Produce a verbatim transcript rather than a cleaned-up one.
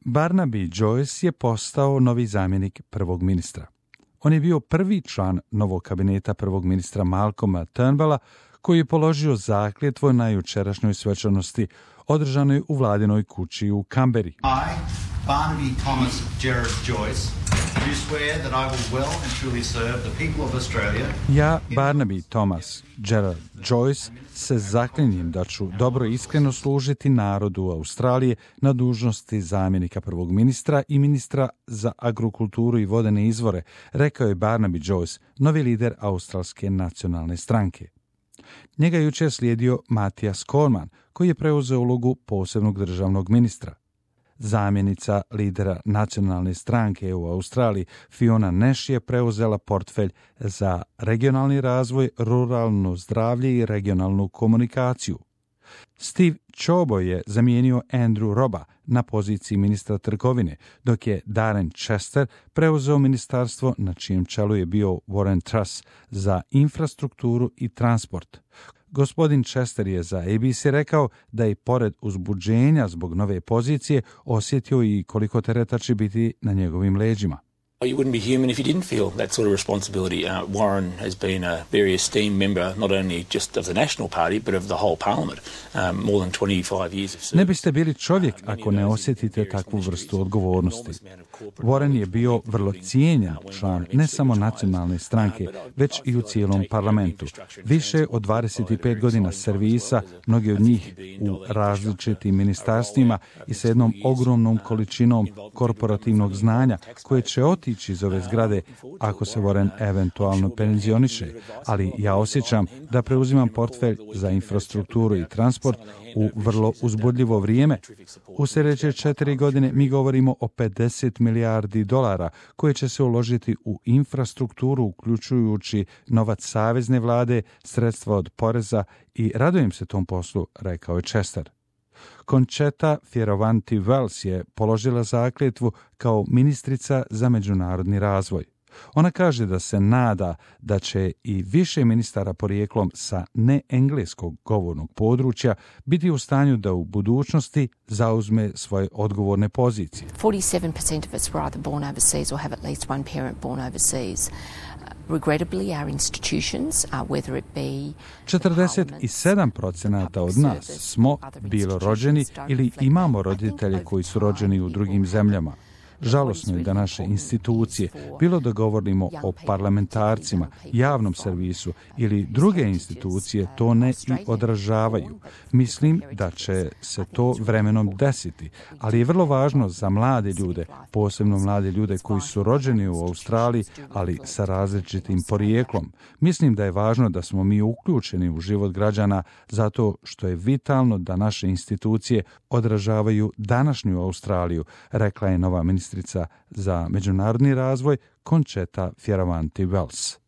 Barnaby Joyce je postao novi zamjenik prvog ministra. On je bio prvi član novog kabineta prvog ministra Malcolma Turnbulla, koji je položio zakletvu na jučerašnjoj svečanosti održanoj u vladinoj kući u Kamberi. I, Barnaby Thomas Gerard Joyce, do swear that I will well and truly serve the people of Australia. Ja, Barnaby Thomas Gerard Joyce, se zaklinjem da ću dobro i iskreno služiti narodu Australije na dužnosti zamjenika prvog ministra i ministra za agrikulturu i vodene izvore, rekao je Barnaby Joyce, novi lider Australske nacionalne stranke. Njega je jučer slijedio Mathias Cormann, koji je preuzeo ulogu posebnog državnog ministra. Zamjenica lidera nacionalne stranke u Australiji, Fiona Nash, je preuzela portfelj za regionalni razvoj, ruralno zdravlje i regionalnu komunikaciju. Steve Ciobo je zamijenio Andrew Robba na poziciji ministra trgovine, dok je Darren Chester preuzeo ministarstvo na čijem čelu je bio Warren Truss za infrastrukturu i transport. Gospodin Chester je za A B C rekao da je pored uzbuđenja zbog nove pozicije osjetio i koliko tereta će biti na njegovim leđima. You wouldn't be human if you didn't feel that sort of responsibility. Uh, Warren has been a very esteemed member, not only just of the National Party, but of the whole Parliament. Um, more than twenty-five years of service. Ne biste bili čovjek ako ne osjetite takvu vrstu odgovornosti. Warren je bio vrlo cijenjen član ne samo nacionalne stranke, već i u cijelom parlamentu. Više od dvadeset pet godina servisa, mnogi od njih u različitim ministarstvima i sa jednom ogromnom količinom korporativnog znanja koje će otići iz ove zgrade ako se Warren eventualno penzioniše, ali ja osjećam da preuzimam portfelj za infrastrukturu i transport u vrlo uzbudljivo vrijeme. U sljedeće četiri godine mi govorimo o pedeset milijardi dolara koje će se uložiti u infrastrukturu, uključujući novac savezne vlade, sredstva od poreza, i radujem se tom poslu, rekao je Chester. Concetta Fierravanti-Wells je položila zakletvu kao ministrica za međunarodni razvoj. Ona kaže da se nada da će i više ministara porijeklom sa neengleskog govornog područja biti u stanju da u budućnosti zauzme svoje odgovorne pozicije. forty-seven percent of us were either born overseas or have at least one parent born overseas. Regrettably, our institutions, uh, whether it be četrdeset sedam procenata od nas smo bilo rođeni ili imamo roditelje koji su rođeni u drugim zemljama. Žalosno je da naše institucije, bilo da govorimo o parlamentarcima, javnom servisu ili druge institucije, to ne i odražavaju. Mislim da će se to vremenom desiti, ali je vrlo važno za mlade ljude, posebno mlade ljude koji su rođeni u Australiji, ali sa različitim porijeklom. Mislim da je važno da smo mi uključeni u život građana zato što je vitalno da naše institucije odražavaju današnju Australiju, rekla je nova ministrica za međunarodni razvoj Concetta Fierravanti-Wells.